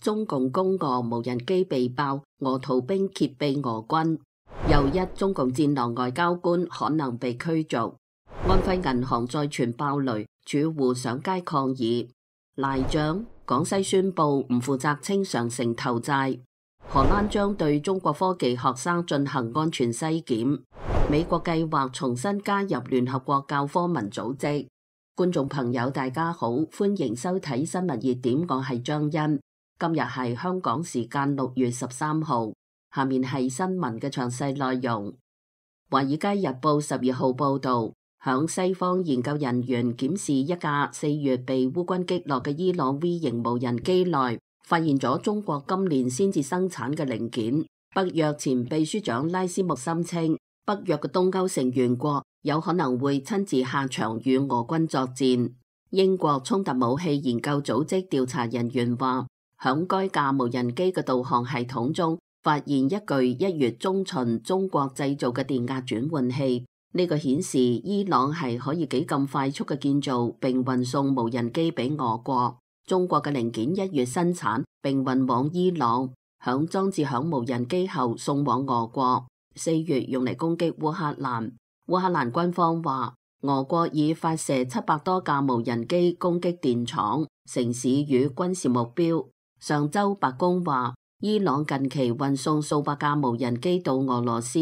中共攻俄無人機被爆，俄逃兵揭秘俄軍。又一中共戰狼外交官可能被驅逐。安徽銀行再傳爆雷，主戶上街抗議。賴賬，廣西宣布唔負責清償城投債。荷蘭將對中國科技學生進行安全篩檢。美國計劃重新加入聯合國教科文組織。觀眾朋友大家好，歡迎收睇新聞熱點，我係張欣。今日係香港時間6月13號，下面係新聞嘅詳細內容。華爾街日報12號報道，響西方研究人員檢視一架4月被烏軍擊落嘅伊朗 V 型無人機內，發現咗中國今年先至生產嘅零件。北約前秘書長拉斯穆森稱，北約嘅東歐成員國有可能會親自下場與俄軍作戰。英國衝突武器研究組織調查人員話，響該架無人機嘅導航系統中發現一具1月中旬中國製造嘅電壓轉換器，呢個顯示伊朗係可以幾咁快速嘅建造並運送無人機俾俄國。中國嘅零件1月生產並運往伊朗，裝置響無人機後送往俄國，4月用嚟攻擊烏克蘭。烏克蘭軍方話，俄國已發射700多架無人機攻擊電廠、城市與軍事目標。上周白宮話，伊朗近期運送數百架無人機到俄羅斯。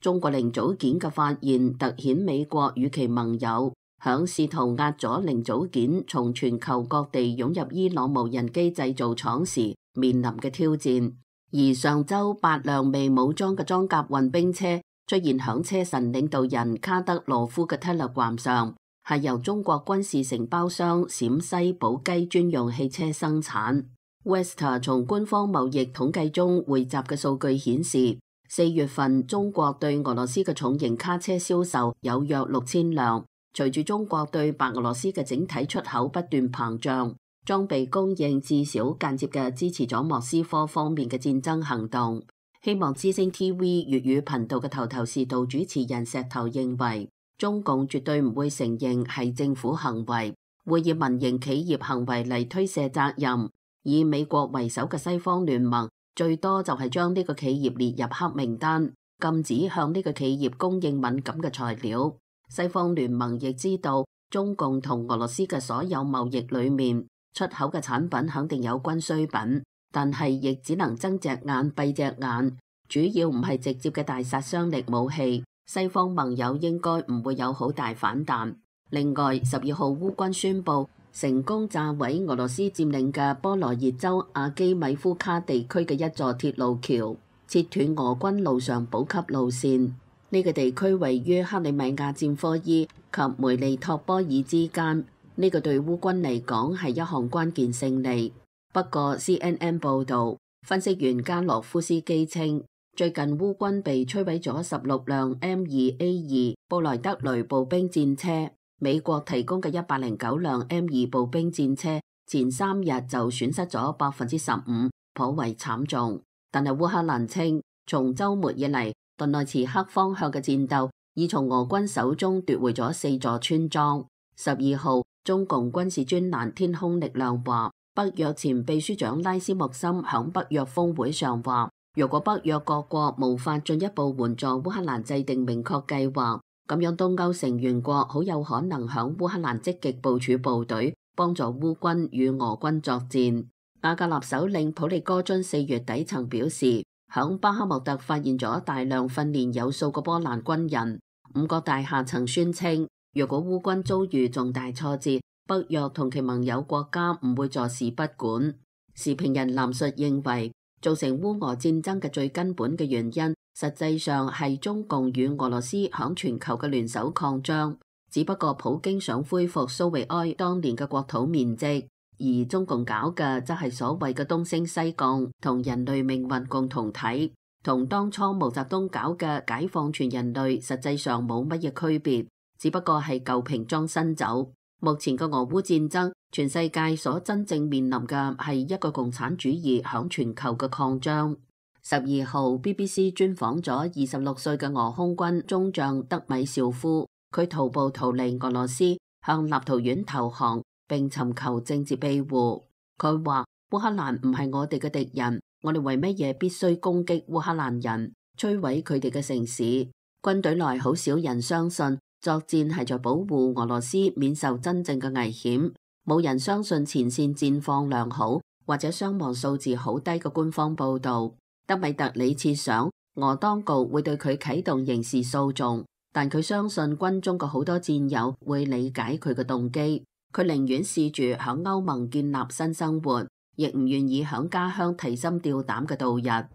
中國零組件嘅發現凸顯美國與其盟友響試圖壓阻零組件從全球各地湧入伊朗無人機製造廠時面臨嘅挑戰。而上周8輛未武裝嘅裝甲運兵車出現響車臣領導人卡德羅夫嘅 Telegram 上，係由中國軍事承包商陝西寶雞專用汽車生產。Westa 從官方貿易統計中匯集嘅數據顯示，4月份中國對俄羅斯嘅重型卡車銷售有約6000輛。隨住中國對白俄羅斯嘅整體出口不斷膨脹，裝備供應至少間接嘅支持咗莫斯科方面嘅戰爭行動。希望之聲 TV 粵語頻道嘅頭頭是道主持人石頭認為，中共絕對唔會承認係政府行為，會以民營企業行為嚟推卸責任。以美國為首嘅西方聯盟最多就係將呢個企業列入黑名單，禁止向呢個企業供應敏感嘅材料。西方聯盟亦知道中共同俄羅斯嘅所有貿易裏面出口嘅產品肯定有軍需品，但係亦只能睜隻眼閉隻眼，主要唔係直接嘅大殺傷力武器。西方盟友應該唔會有好大反彈。另外，12號烏軍宣布成功炸毀俄羅斯佔領嘅波羅熱州阿基米夫卡地區嘅一座鐵路橋，切斷俄軍路上補給路線。呢個地區位於克里米亞戰科伊及梅利托波爾之間，呢個對烏軍嚟講係一項關鍵勝利。不過 CNN 報導，分析員加洛夫斯基稱，最近烏軍被摧毀咗16輛 M2A2 布萊德雷步兵戰車，美國提供嘅109輛 M2 步兵戰車前3日就損失咗15%，頗為慘重。但係烏克蘭稱，從週末以嚟，頓內茨克方向嘅戰鬥已從俄軍手中奪回咗4座村莊。12號，中共軍事專欄天空力量話，北約前秘書長拉斯穆森響北約峰會上話，如果北約各國無法進一步援助烏克蘭制定明確計劃，咁樣東歐成員國好有可能響烏克蘭積極部署部隊，幫助烏軍與俄軍作戰。瓦格納首領普利戈津4月底曾表示，響巴克穆特發現咗大量訓練有素嘅波蘭軍人。5角大廈曾宣稱，若果烏軍遭遇重大挫折，北約同其盟友國家唔會坐視不管。時評人藍述認為，造成烏俄戰爭嘅最根本嘅原因，實際上係中共與俄羅斯響全球嘅聯手擴張。只不過普京想恢復蘇維埃當年嘅國土面積，而中共搞嘅則係所謂嘅東升西降同人類命運共同體，同當初毛澤東搞嘅解放全人類實際上冇乜嘢區別，只不過係舊瓶裝新酒。目前嘅俄烏戰爭，全世界所真正面臨嘅係一個共產主義響全球嘅擴張。12號 BBC 專訪咗26歲嘅俄空軍中將德米紹夫，佢徒步逃離俄羅斯，向立陶宛投降並尋求政治庇護。佢話烏克蘭唔係我哋嘅敵人，我哋為乜嘢必須攻擊烏克蘭人，摧毀佢哋嘅城市？軍隊內好少人相信作戰係在保護俄羅斯免受真正嘅危險，冇人相信前線戰況良好或者傷亡數字好低嘅官方報導。德米特里設想俄當局會對佢啟動刑事訴訟，但佢相信軍中嘅好多戰友會理解佢嘅動機。佢寧願試住響歐盟建立新生活，亦唔願意響家鄉提心吊膽嘅度日。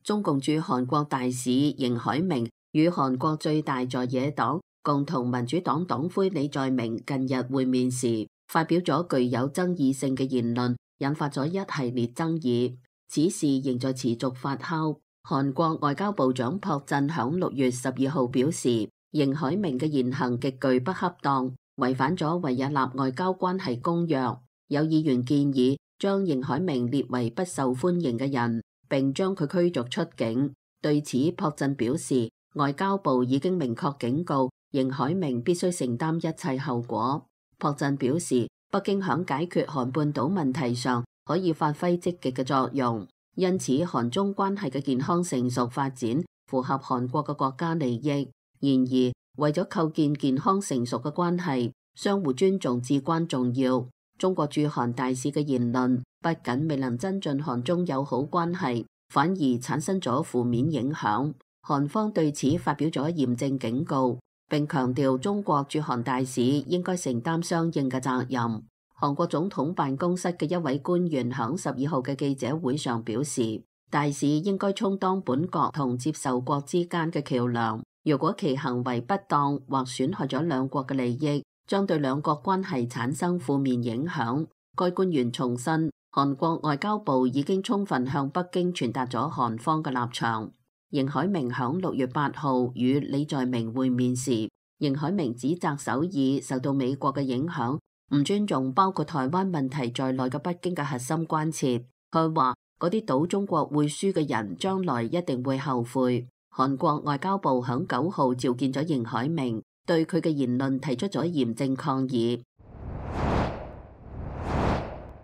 中共駐韓國大使邢海明與韓國最大在野黨共同民主黨黨魁李在明近日會面時，發表咗具有爭議性嘅言論，引發咗一系列爭議。此事仍在持續發酵。韓國外交部長朴振響6月12號表示，邢海明嘅言行極具不恰當，違反咗維也納外交關係公約。有議員建議將邢海明列為不受歡迎嘅人，並將佢驅逐出境。對此，朴振表示，外交部已經明確警告邢海明必須承擔一切後果。朴振表示，北京響解決韓半島問題上可以發揮積極嘅作用，因此韓中關係嘅健康成熟發展符合韓國嘅國家利益。然而，為咗構建健康成熟嘅關係，相互尊重至關重要。中國駐韓大使嘅言論不僅未能增進韓中友好關係，反而產生咗負面影響。韓方對此發表咗嚴正警告，並強調中國駐韓大使應該承擔相應嘅責任。韓國總統辦公室嘅一位官員響12號嘅記者會上表示，大使應該充當本國同接受國之間嘅橋樑。如果其行為不當或損害咗兩國嘅利益，將對兩國關係產生負面影響。該官員重申，韓國外交部已經充分向北京傳達咗韓方嘅立場。邢海明響6月8號與李在明會面時，邢海明指責首爾受到美國嘅影響，唔尊重包括台灣問題在內嘅北京嘅核心關切。佢話嗰啲賭中國會輸嘅人將來一定會後悔。韓國外交部響9號召見咗邢海明，對佢嘅言論提出咗嚴正抗議。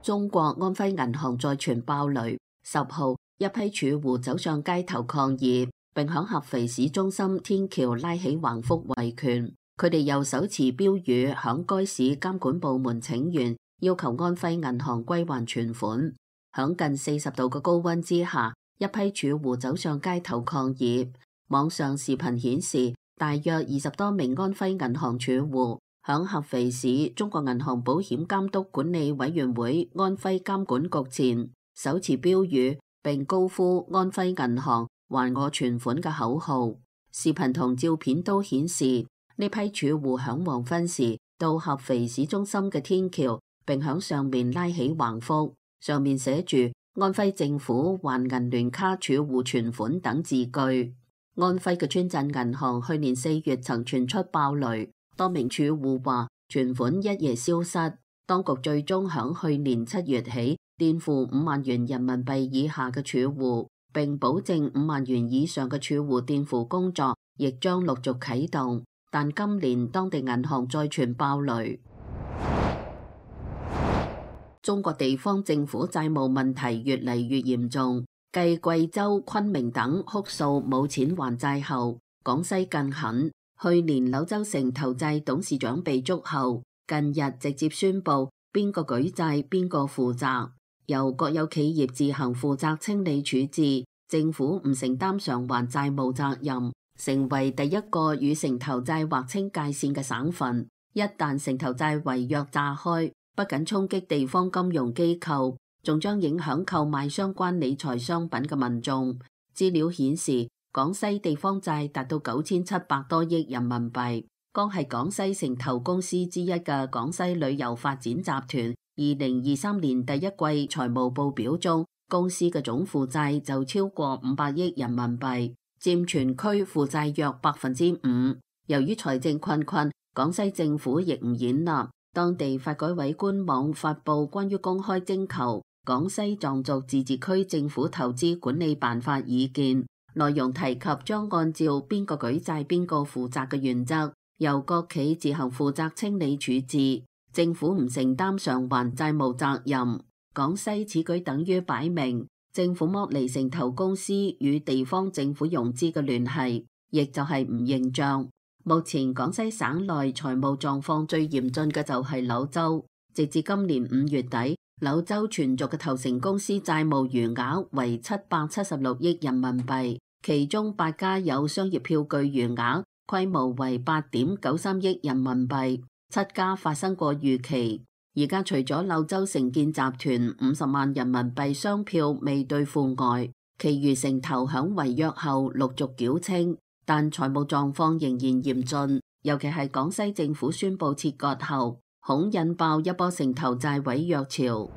中國安徽銀行再傳爆雷，10號一批儲戶走上街頭抗議，並響合肥市中心天橋拉起橫幅維權。佢哋又手持標語響該市監管部門請願，要求安徽銀行歸還存款。響近40度嘅高溫之下，一批儲戶走上街頭抗議。網上視頻顯示，大約20多名安徽銀行儲戶響合肥市中國銀行保險監督管理委員會安徽監管局前手持標語，並高呼安徽銀行還我存款嘅口號。視頻同照片都顯示，呢批儲戶響黃昏時到合肥市中心嘅天橋，並響上面拉起橫幅，上面寫住安徽政府還銀聯卡儲戶存款等字句。安徽嘅村鎮銀行去年4月曾傳出爆雷，多名儲戶話存款一夜消失。當局最終響去年7月起墊付5萬元人民幣以下嘅儲戶，並保證5萬元以上嘅儲戶墊付工作亦將陸續啟動。但今年當地銀行再傳爆雷。中國地方政府債務問題越嚟越嚴重。繼貴州、昆明等哭訴冇錢還債後，廣西更狠。去年柳州城投債董事長被捉後，近日直接宣布邊個舉債邊個負責，由國有企業自行負責清理處置，政府唔承擔償還債務責任，成為第一個與城投債劃清界線嘅省份。一旦城投債違約炸開，不僅衝擊地方金融機構，仲將影響購買相關理財商品嘅民眾。資料顯示，廣西地方債達到9700多億人民幣。剛係廣西城投公司之一嘅廣西旅遊發展集團，2023年第一季財務報表中，公司嘅總負債就超過500億人民幣，佔全區負債約5%。由於財政困，廣西政府亦唔演納，當地發改委官網發布關於公開徵求廣西壯族自治區政府投資管理辦法意見，內容提及將按照邊個舉債邊個負責嘅原則，由國企自行負責清理處置，政府唔承擔償還債務責任。廣西此舉等於擺明政府剝離城投公司與地方政府融資嘅聯繫，亦就係唔認賬。目前廣西省內財務狀況最嚴峻嘅就係柳州，直至今年5月底，柳州全族嘅投誠公司債務餘額為776億人民幣，其中8家有商業票據餘額規模為8.93億人民幣，7家發生過逾期。而家除咗柳州城建集團50萬人民幣商票未兌付外，其餘城投響違約後陸續繳清，但財務狀況仍然嚴峻，尤其係廣西政府宣布切割後，恐引爆一波城投債違約潮。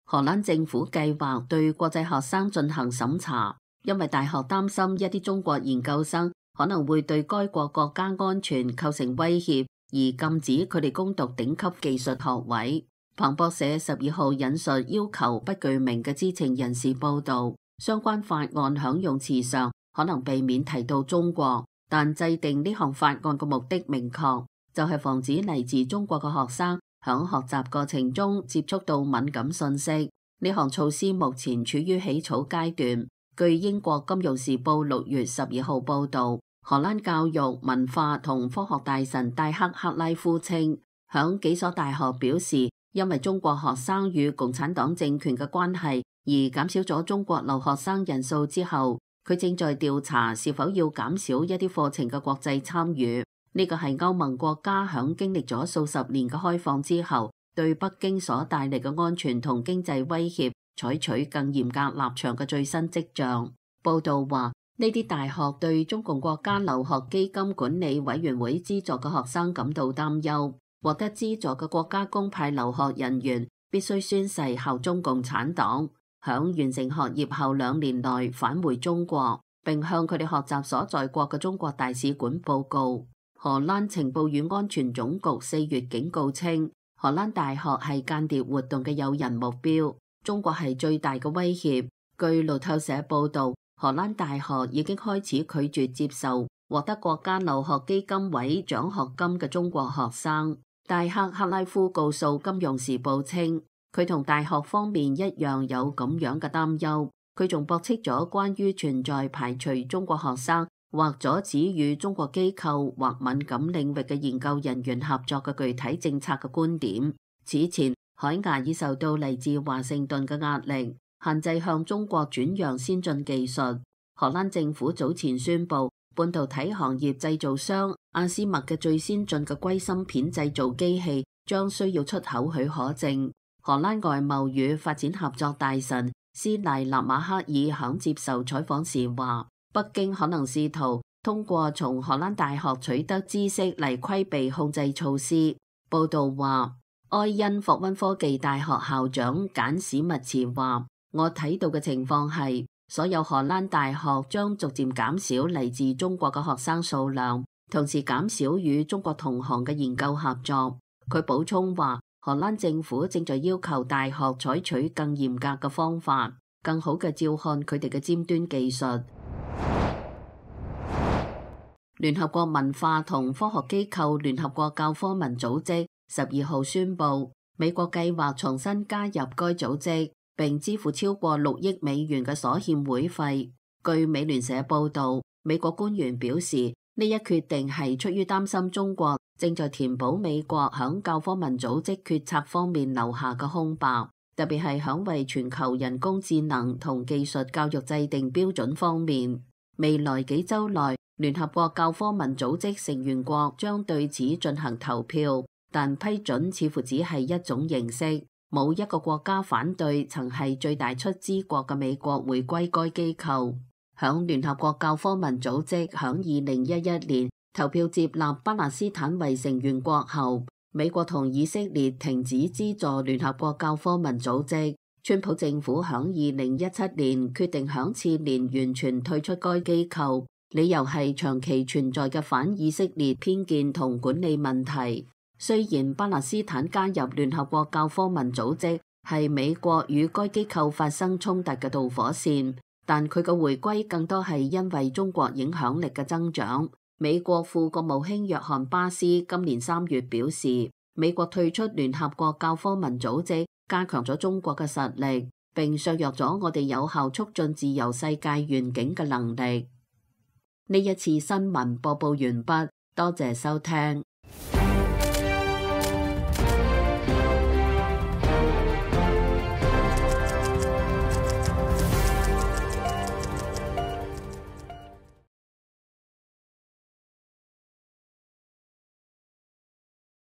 荷蘭政府計劃對國際學生進行審查，因為大學擔心一啲中國研究生可能會對該國國家安全構成威脅，而禁止佢哋攻讀頂級技術學位。彭博社12號引述要求不具名嘅知情人士報導，相關法案響用詞上可能避免提到中國，但制定呢項法案嘅目的明確，就係防止嚟自中國嘅學生響學習過程中接觸到敏感信息。呢項措施目前處於起草階段。據英國金融時報6月12號報導，荷蘭教育、文化同科學大臣戴克·克拉夫稱，響幾所大學表示，因為中國學生與共產黨政權嘅關係而減少咗中國留學生人數之後，佢正在調查是否要減少一啲課程嘅國際參與。呢個係歐盟國家響經歷咗數十年嘅開放之後，對北京所帶嚟嘅安全同經濟威脅採取更嚴格立場嘅最新跡象。報道話，呢啲大學對中共國家留學基金管理委員會資助嘅學生感到擔憂。獲得資助嘅國家公派留學人員必須宣誓效忠共產黨，響完成學業後2年內返回中國，並向佢哋學習所在國嘅中國大使館報告。荷蘭情報與安全總局4月警告稱，荷蘭大學係間諜活動嘅誘人目標，中國係最大嘅威脅。據路透社報導，荷蘭大學已經開始拒絕接受獲得國家留學基金委獎學金嘅中國學生。戴克·克拉夫告訴《金融時報》稱，佢同大學方面一樣有咁樣嘅擔憂。佢仲駁斥咗關於存在排除中國學生或阻止與中國機構或敏感領域嘅研究人員合作嘅具體政策嘅觀點。此前，海牙已受到嚟自華盛頓嘅壓力，限制向中國轉讓先進技術。荷蘭政府早前宣布，半導體行業製造商阿斯麥嘅最先進嘅硅芯片製造機器將需要出口許可證。荷蘭外貿與發展合作大臣斯賴納馬克爾響接受採訪時話，北京可能試圖通過從荷蘭大學取得知識嚟規避控制措施。報道話，埃因霍溫科技大學校長簡史密茨話，我睇到嘅情況係，所有荷蘭大學將逐漸減少嚟自中國嘅學生數量，同時減少與中國同行嘅研究合作。佢補充話，荷蘭政府正在要求大學採取更嚴格嘅方法，更好嘅照看佢哋嘅尖端技術。聯合國文化同科學機構聯合國教科文組織12號宣布，美國計劃重新加入該組織，並支付超過6億美元嘅所欠會費。據美聯社報導，美國官員表示，呢一決定係出於擔心中國正在填補美國響教科文組織決策方面留下嘅空白，特別係響為全球人工智能同技術教育制定標準方面。未來幾週內，聯合國教科文組織成員國將對此進行投票，但批准似乎只係一種形式。冇一個國家反對曾係最大出資國嘅美國回歸該機構。響聯合國教科文組織響2011年投票接納巴勒斯坦為成員國後，美國同以色列停止資助聯合國教科文組織。川普政府響2017年決定響次年完全退出該機構，理由係長期存在嘅反以色列偏見同管理問題。雖然巴勒斯坦加入聯合國教科文組織係美國與該機構發生衝突嘅導火線，但佢嘅回歸更多係因為中國影響力嘅增長。美國副國務卿約翰巴斯今年3月表示，美國退出聯合國教科文組織，加強咗中國嘅實力，並削弱咗我哋有效促進自由世界願景嘅能力。呢一次新聞播報完畢，多謝收聽。